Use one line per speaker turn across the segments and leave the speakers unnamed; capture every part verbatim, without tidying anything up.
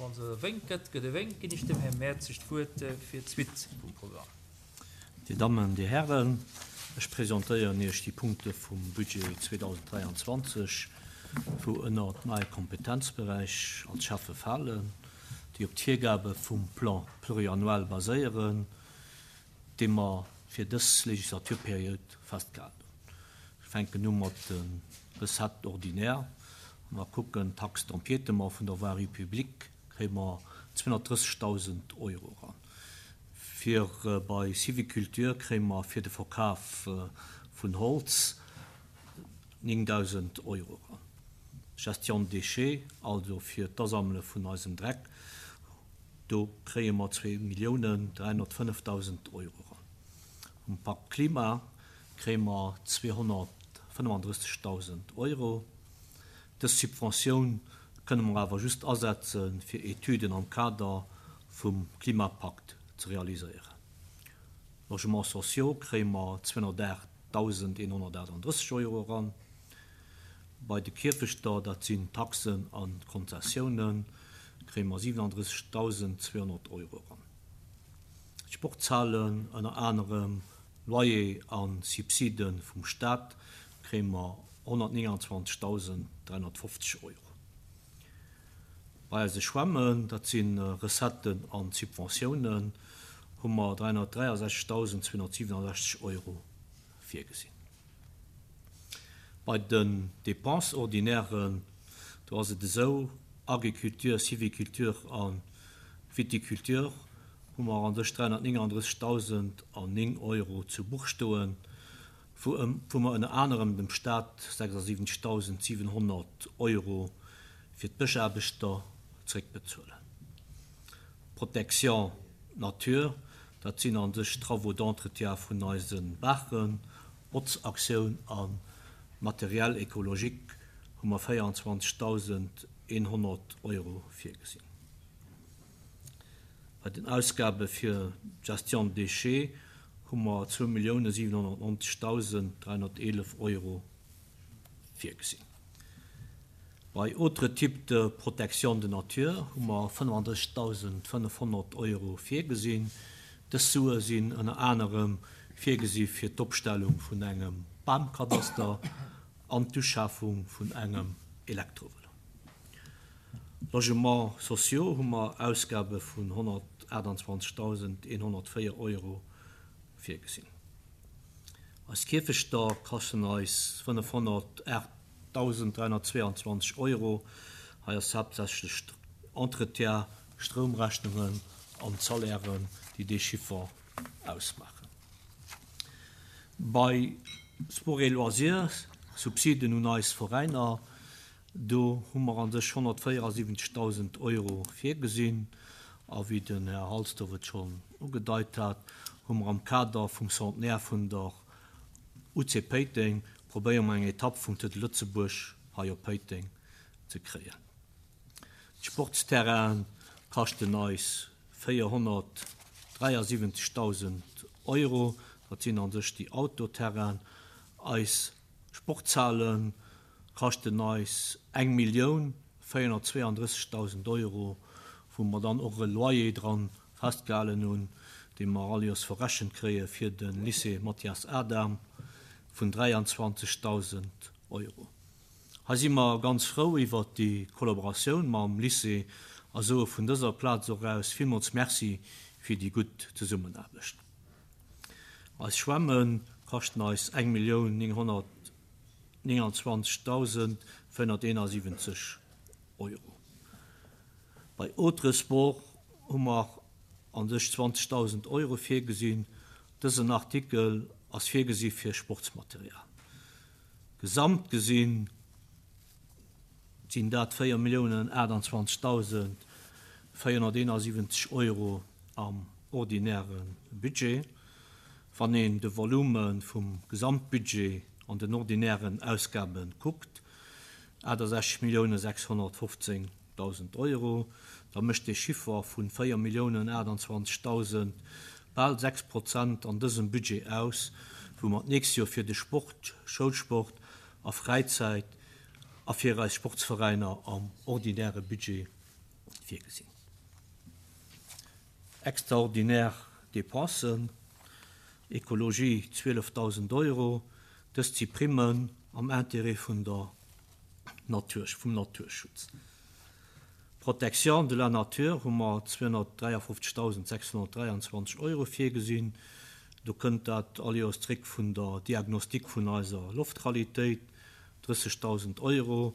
Wa se e Wénk gëtt, gëtt e Wénk. Ginn ech dem Här Mertzig d'Wuert fir d'Suite vum Programm.
Dir Dammen, Dir Hären, ech presentéieren Iech déi Punkte vum Budget zweedausenddräianzwanzeg, wou ënnert mäi Kompetenzberäich als Schäffe falen, déi op d'Virgabe vum Plan pluriannuel baséieren, dee mer fir dës Legislaturperiod festgehalen hunn. Ech fänken u mat de Recettes ordinaires. Wa mer kucken, d'Taxe d'empiétement vun der Voirie publique, kréie mer zweehonnertdrëssegdausend Euro eran. Fir bei Sylviculture kréie mer fir de Verkaf vun Holz néngdausend Euro eran. Gestion de déchets, also fir d'Asammele vun eisem Dreck, do kréie mer zwee Milliounen dräihonnertfënnefdausend Euro eran. Um Pakt Klima kréie mer zweehonnertfënnefandrëssegdausend Euro. Dës Subventioun kënne mer awer just asetzen, fir Etüden am Kader vum Klimapakt ze realiséieren. Logements sociaux kréie mer zweehonnertaachtdausendeenhonnertaachtanddrësseg Euro eran. Bei de Kierfechter, dat sinn Taxen a Konzessiounen, kréie mer siwenandrëssegdausendzweehonnert Euro eran. D'Sportshalen, ënner anerem Loyer a Subside vum Staat, kréie mer honnertnéngandzwanzegdausenddräihonnertfofzeg Euro. Bei eise Schwämmen, dat si Recetten a Subventiounen, hu mer dräihonnertdräiasechzegdausendzweehonnertsiwenasechzeg Euro virgesinn. Bei den Dépenses ordinairen, do ass et esou, Agriculture, Sylviculture a Viticulture, hu mer an sech dräihonnertnénganddrëssegdausendnéng Euro zu Buch stoen, wou, wou mer ënner anerem dem Staat sechsasiwwenzegdausendsiewenhonnert Euro fir d'Bëschaarbechter zréckbezuelen. Protection Nature, dat sinn an sech Travaux d'entretien vun eise Baachen, Botzaktioun a Matériel écologique hu mer véierundzwanzegdausendeenhonnert Euro virgesinn. Bei den Ausgabe fir Gestion de déchets hu mer zwou Milliounen siwenhonnertneunzegdausenddräihonnerteelef Euro virgesinn. Bei autres types de protection de nature hu mer fënnefandrëssegdausendfënnefhonnert Euro virgesinn. Dës Sue sinn ënner anerem virgesi fir d'Opstellung vun engem Bamkadaster an d'Uschafung vun engem Elektrovëlo. Logements sociaux hu mer Ausgabe vun honnertaachtandzwanzegdausendeenhonnertvéier Euro virgesinn. Eis Kierfechter kaschten eis fënnefhonnertaachtdausenddräihonnertzweeandzwanzeg Euro. Hei ass haaptsächlech Entretien, Stroumrechnungen an Salairen, déi dee Chiffer ausmaachen. Bei Sport et Loisirs, Subsiden un eis Veräiner, do hu mer an sech honnertvéierasiwwenzegdausend Euro virgesinn. A wéi den Här Halsdorf et schonn ugedeit hat, hu mer am Kader vum Centenaire vun der U C Péiteng probéiere mer eng Etapp vum Tour de Lëtzebuerg hei op Péiteng ze kréien. D'Sportsterrain kaschten eis véierhonnertdräiasiwwenzegdausend Euro, dat sinn an sech déi Autoterrain. Eis Sportshalen kaschten eis eng Millioun véierhonnertzweeanddrëssegdausend Euro, wou mer dann och e Loyer dran festgehalen hunn, dee mer all Joers verrechent kréie fir de Lycée Mathias Adam vun dräiandzwanzegdausend Euro. Hei si mer ganz frou iwwer déi Kollaboratioun mam Lycée a soe vun dëser Plaz och aus villmools Merci fir déi gutt Zesummenaarbecht. Eis Schwämme kaschten eis eng Millioun nénghonnertnéngandzwanzegdausendvéierhonnerteenasiwwenzeg Euro. Bei autres Sports hu mer an sech zwanzegdausend Euro virgesinn. Dësen Artikel ass virgesi fir Sportsmaterial. Gesamt gesinn sinn dat véier Milliounen achtundzwanzegdausendvéierhonnerteenasiwwenzeg Euro am ordinäre Budget. Wann een de Volume vum Gesamtbudget an den ordinären Ausgaben kuckt, achtundsechzeg Milliounen sechshonnertfofzéngdausend Euro, da mécht de Chiffer vun véier Milliounen achtundzwanzegdausend bal sechs Prozent an dësem Budget aus, wou mer d'nächst Joer fir de Sport, Schoulsport a Fräizäit a fir eis Sportsveräiner am ordinäre Budget virgesinn. Extraordinär Dépensen, Ekologie zwielefdausend Euro, dëst si Primmen am Intérêt vun der Natur, vum Naturschutz. Protection de la nature hu mer zweehonnertdräiafofzegdausendsechshonnertdräianzwanzeg Euro virgesinn. Do kënnt dat all Joers zréck vun der Diagnostik vun eiser Loftqualitéit, drëssegdausend Euro.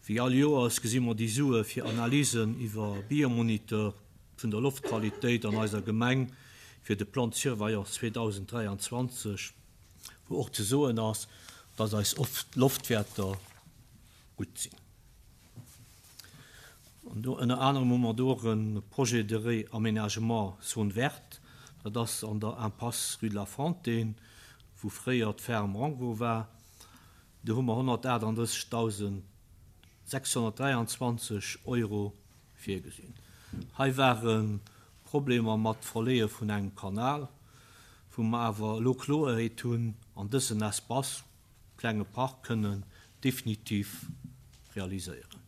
Wéi all Joers gesi mer déi Sue fir Analysen iwwer Biomoniteur vun der Loftqualitéit an eiser Gemeng fir de Plan de surveillance zweedausenddräianzwanzeg, wou och ze soen ass, dass eis Loftwäerter gutt sinn. An do ënner anerem hu mer do och e Projet de Réaménagement Zone verte, dat ass an der Impasse Rue de la Fontaine, wou fréier d'Ferme Rango war. Do hu mer honnertaachtunddrëssegdausendsechshonnertdräianzwanzeg Euro virgesinn. Hei ware Problemer mat Verleeë vun engem Kanal, wou mer awer elo Kloerheet hunn an dësen Espace, klenge Park, kënnen definitiv realiséieren.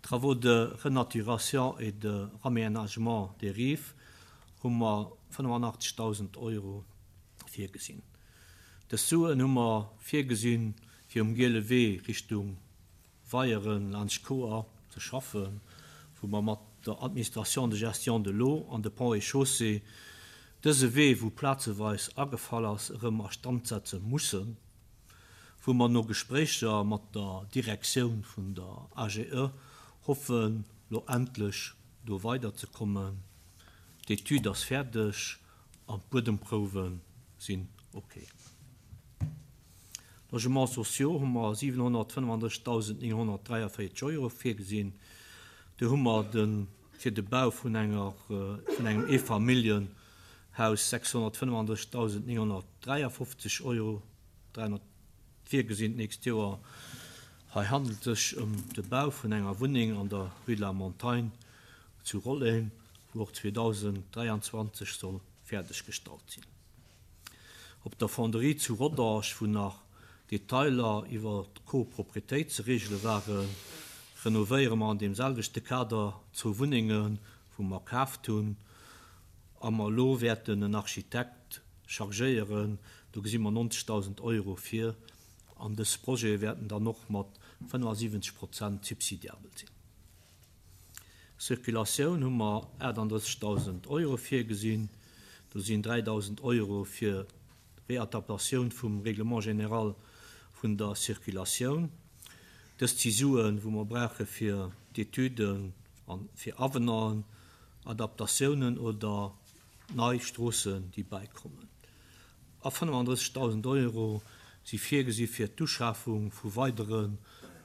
Travaux de renaturation et de raménagement des rives hu mer fënnefannachtzegdausend Euro virgesinn. Dës Suen hu mer virgesinn, fir um Giele Wee Richtung Weieren laanscht Koer ze schaffen, wou mer mat der Administration de gestion de l'eau an de Ponts et Chaussées dëse Wee, wou plazeweis agefall ass, erëm a Stand setze mussen, wou mer no Gespréicher mat der Direktioun vun der A G E hoffen, lo endlech do weiderzekommen. D'Etüd ass fäerdeg an d'Buedemprouwe sinn okay. Logements sociaux hu mer siwenhonnertfënnefandrëssigdausendnénghonnertdräiavéierzeg Euro virgesinn. Do hu mer de, fir de Bau vun enger, vun engem Eefamilljenhaus sechshonnertfënnefandrëssigdausendnénghonnertdräiafofzeg Euro dräihonnert virgesinn d'nächst Joer. Hei handelt es sich um de Bau vun enger Wunneng an der Rue de la Montagne zu Rolleng, wou och zweedausenddräianzwanzeg soll fäerdeggestallt sinn. Op der Fonderie zu Rodange, wou nach Detailer iwwer d'Koproprietéit ze regele waren, renovéiere mer an dem selwechte Kader zwou Wunnengen, wou mer kaaft hunn, a mer elo wäerten en Architekt chargéieren. Do gesi mer neunzigtausend Euro fir, an dës Projet wäerten dann och mat fënnefundsiwwenzeg Prozent subsidiabel sinn. Circulatioun hu mer achtunddrëssigtausend Euro virgesinn. Do sinn dräidausend Euro fir Readaptatioun vum Règlement général vun der Circulatioun. Dës si Suen, wou mer brauche fir d'Etüden an fir Avenant, Adaptatiounen oder nei Stroossen, déi beikommen. A fënnefundrëssigtausend Euro si virgesi fir d'Uschafung vu weidere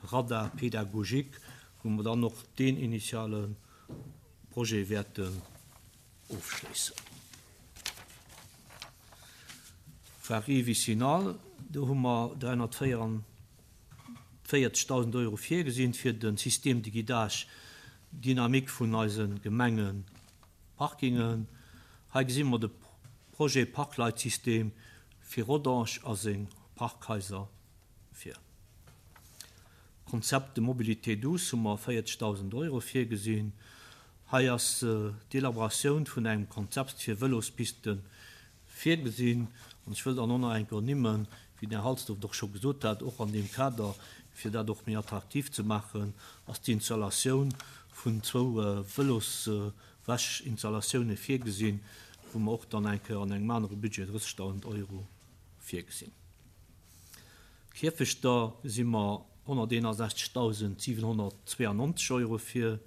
Radar pédagogique, wou mer dann noch den initiale Projet wäerten ofschléissen. Voirie vicinale, do hu mer dreihundertvierundvierzigtausend Euro virgesinn fir den Système de guidage dynamique vun eisen Gemengen Parkingen. Hei gesinn mer de Projet Parkleitsystem fir Rodange a seng Parkhaiser fir. Konzept de Mobilité douce hu mer vierzigtausend Euro virgesinn. Hei ass, äh, d'Elaboratioun vun engem Konzept fir Velospisten virgesinn. An ech wëll dann och nach eng Kéier nimmen, wéi der Halsdorf doch scho gesot hat, och an dem Kader, fir dat och méi attraktiv ze machen, ass d'Installatioun vun zwou, äh, Veloswäschinstallatiounen virgesinn, wou mer och dann eng Kéier an engem anere Budget drëssigtausend Euro virgesinn. Kierfechter si mer honnerteenundsechzigtausendsiewenhundertzweiundneunzig Euro fir.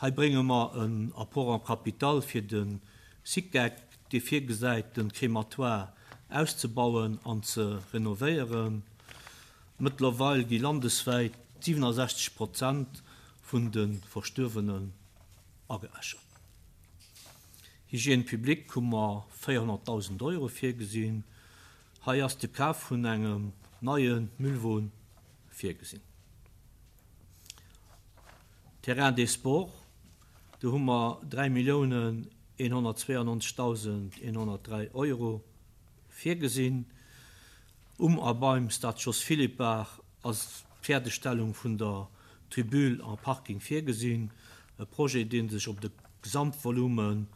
Hei brénge mer en Apport en Capital fir den SICEC, dee virgesäit, den Crématoire auszubauen an ze renovéieren. Mëttlerweil gi landeswäit siebenundsechzig Prozent vun de Verstuerwenen ageäschert. Hygiène publique hu mer vierhunderttausend Euro virgesinn. Hei ass de Kaf vun engem neien Müllwon virgesinn. Terrain des Sports, do hu mer dräi Milliounen eenhundertzweiundneunzigtausend eenhundertdräi Euro virgesinn. Um a beim Stade Jos Philippart ass d'Fäerdegstellung vun der Tribüne am Parking virgesinn. E Projet, deen sech op de Gesamtvolume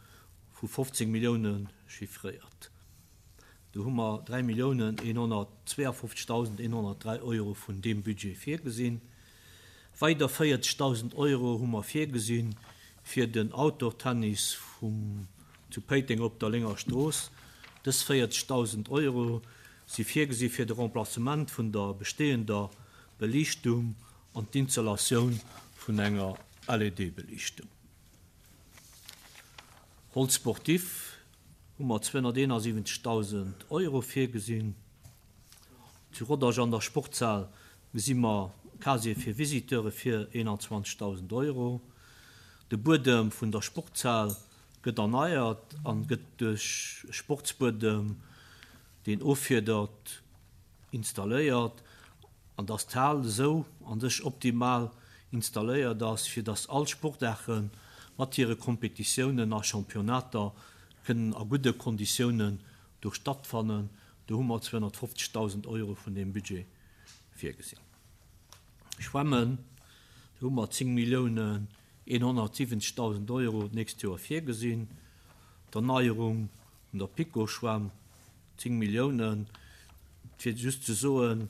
vu fofzéng Millioune chiffréiert. Do hu mer dräi Milliounen eenhonnertzweeafofzegdausend eenhonnertdräi Euro vun deem Budget virgesinn. Weider véierzegdausend Euro hu mer virgesinn fir den Outdoor-Tennis vum zu Péiteng op der Lénger Strooss. Dës véierzegdausend Euro si virgesi fir de Remplacement vun der bestehender Beliichtung an d'Installatioun vun enger L E D-Beliichtung. Hall sportif hu mer zweehonnerteenasiwwenzegdausend Euro virgesinn. Zu Rodange an der Sportshal gesi mer Casier fir Visiteure fir eenanzwanzegdausend Euro. De Buedem vun der Sportshal gëtt erneiert an gëtt duerch e Sportsbuedem, deen offiedert, installéiert, an dass d'Hal esou an sech optimal installéiert ass, fir dass all Sportaarte mat hire Kompetitiounen a Championnater kënnen a gudde Konditiounen do stattfannen. Do hu mer zweehonnertfofzegdausend Euro vun deem Budget virgesinn. Schwämmen, do hu mer zéng Milliounen eenhonnertsiwwenzegdausend Euro d'nächst Joer virgesinn. D'Erneierung vun der PiKo-Schwämm, zéng Milliounen. Fir just ze soen,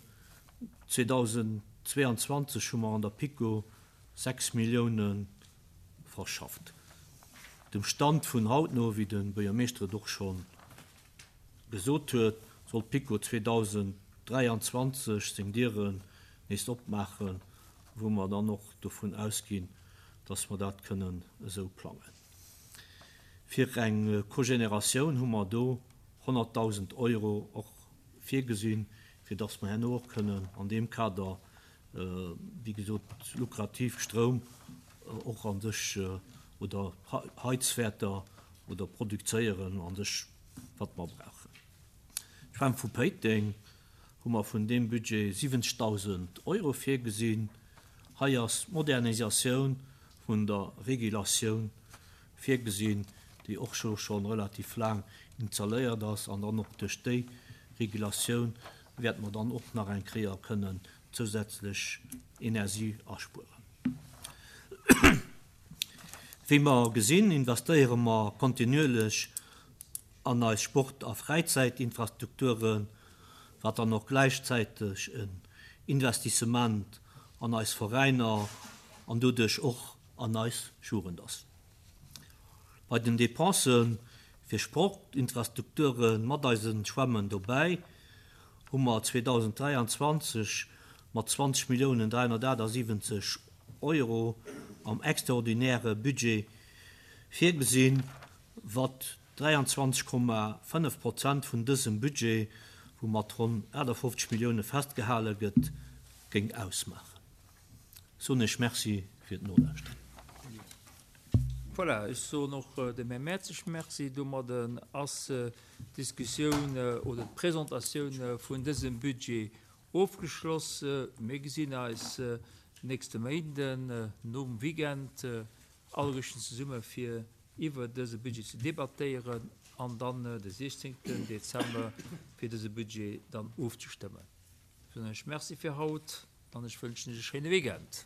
zweedausendzweeanzwanzeg hu mer an der PiKo sechs Millioune verschafft. Dem Stand vun haut no, wéi de Buergermeeschter et och scho gesot huet, soll d'PiKo zweedausenddräianzwanzeg seng Dieren nees opmaachen, wou mer dann och dovun ausginn, dass mer dat kënnen esou plangen. Fir eng Cogénératioun hu mer do honnertdausend Euro och virgesinn, fir dass mer herno och kënnen an deem Kader, wéi gesot, lukrativ Stroum och an sech oder Heizwäerter oder produzéieren an sech, wat mer brauchen. D'Schwämm vu Péiteng hu mer vun deem Budget siwwenzegdausend Euro virgesinn. Hei ass d'Modernisatioun vun der Regulatioun virgesinn, déi och scho schonn relativ laang installéiert ass, an dann och duerch déi Regulatioun wäerte mer dann och nach eng Kéier kënnen zousätzlech Energie aspueren. Wéi mer gesinn, investéiere mer kontinuierlech an eis Sport- a Fräizäitinfrastrukturen, wat dann och gläichzäiteg en Investissement an eis Veräiner an doduerch och an eis Jugend ass. Bei den Dépensen fir Sportinfrastrukture mat eise Schwämmen dobäi hu mer zweedausenddräianzwanzeg mat zwanzeg Milliounen dräihonnertachtasiwwenzeg Euro am extraordinäre Budget virgesinn, wat dräianzwanzeg Komma fënnef Prozent vun dësem Budget, wou mat ronn achtafofzeg Millioune festgehale gëtt, géing ausmaachen. Soen ech Merci fir d'Nolauschteren.
Voilà, ech soen och dem Här Mertzig Merci. Domadden ass d'Diskussioun oder d'Presentatioun vun dësem Budget ofgeschloss. Mir gesinn eis nächste Méinden nom Weekend alleguerten zesumme fir iwwer dëse Budget ze debattéieren an dann de siechzéngten Dezember fir dëse Budget dann ofzestëmmen. Ech soen Iech Merci fir haut an ech wënschen Iech e schéine Weekend.